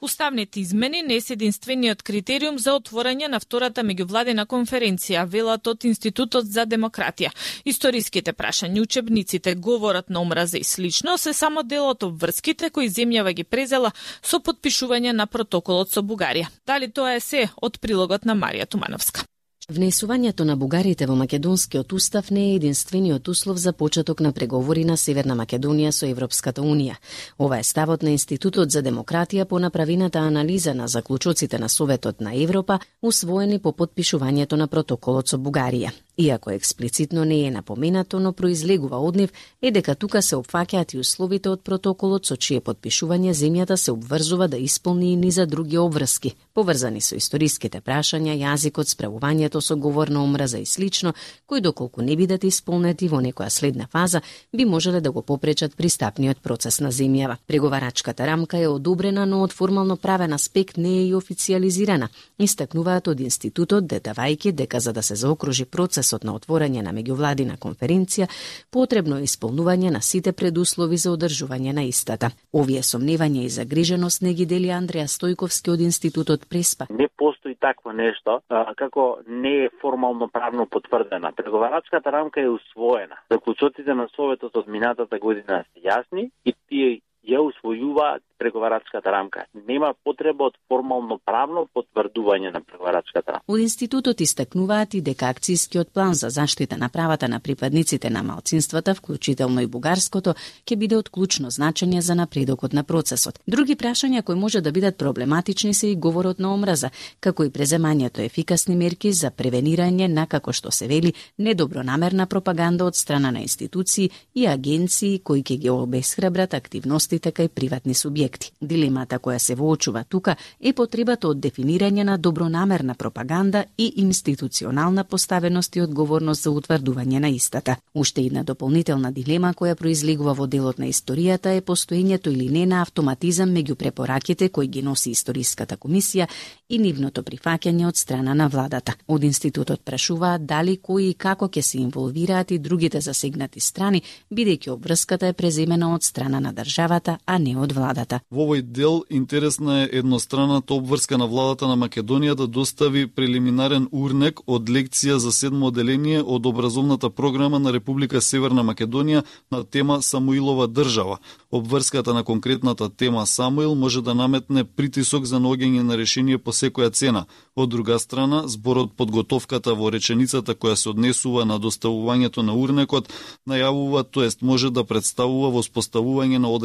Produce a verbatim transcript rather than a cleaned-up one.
Уставните измени не се единствениот критериум за отворање на втората меѓувладина конференција, велат од Институтот за демократија. Историските прашања, учебниците, говорот на омраза и слично се само дел од обврските кои земјава ги презела со подпишување на протоколот со Бугарија. Дали тоа е се од прилогот на Марија Тумановска? Внесувањето на бугарите во македонскиот устав не е единствениот услов за почеток на преговори на Северна Македонија со Европската унија. Ова е ставот на Институтот за демократија по направената анализа на заклучоците на Советот на Европа, усвоени по подпишувањето на протоколот со Бугарија. Иако експлицитно не е напоменато, но произлегува од нив е дека тука се опфаќаат и условите од протоколот со чие подпишување земјата се обврзува да исполни и низа други обврски, поврзани со историските прашања, јазикот, справувањето со говор на омраза и слично, кои доколку не бидат исполнети во некоја следна фаза, би можеле да го попречат пристапниот процес на земјава. Преговарачката рамка е одобрена, но од формално правен аспект не е и официализирана. Истакнуваат од институтот, додавајќи дека за да се заокружи процес на отворање на меѓувладина конференција, потребно е исполнување на сите предуслови за одржување на истата. Овие сомневања и загриженост не ги дели Андреја Стојковски од Институтот Преспа. Не постои такво нешто, а, како не е формално правно потврдена. Преговарачката рамка е усвоена. Заклучоците на Советот од минатата година се јасни и тие ја усвојуваат преговарачката рамка. Нема потреба од формално правно потврдување на преговарачката рамка. Од институтот истакнуваат и дека акцијскиот план за заштита на правата на припадниците на малцинствата, вклучително и бугарското, ќе биде од клучно значење за напредокот на процесот. Други прашања кои може да бидат проблематични се и говорот на омраза, како и преземањето ефикасни мерки за превенирање на, како што се вели, недобронамерна пропаганда од страна на институции и агенции кои ќе ги обесхрабрат активностите кај приватни субјекти. Дилемата која се воочува тука е потребата од дефинирање на добронамерна пропаганда и институционална поставеност и одговорност за утврдување на истата. Уште една дополнителна дилема која произлегува во делот на историјата е постоењето или не на автоматизам меѓу препораките кои ги носи Историската комисија и нивното прифаќање од страна на владата. Од институтот прашуваат дали кои и како ќе се инволвираат и другите засегнати страни, бидејќи обврската е преземена од страна на државата, а не од владата. Во овој дел интересна е едностранната обврска на владата на Македонија да достави прелиминарен урнек од лекција за седмо оделение од образовната програма на Република Северна Македонија на тема Самуилова држава. Обврската на конкретната тема Самуил може да наметне притисок за наоѓање на решение по секоја цена. Од друга страна, зборот подготовката во реченицата која се однесува на доставувањето на урнекот најавува, тоест може да представува воспоставување на одреден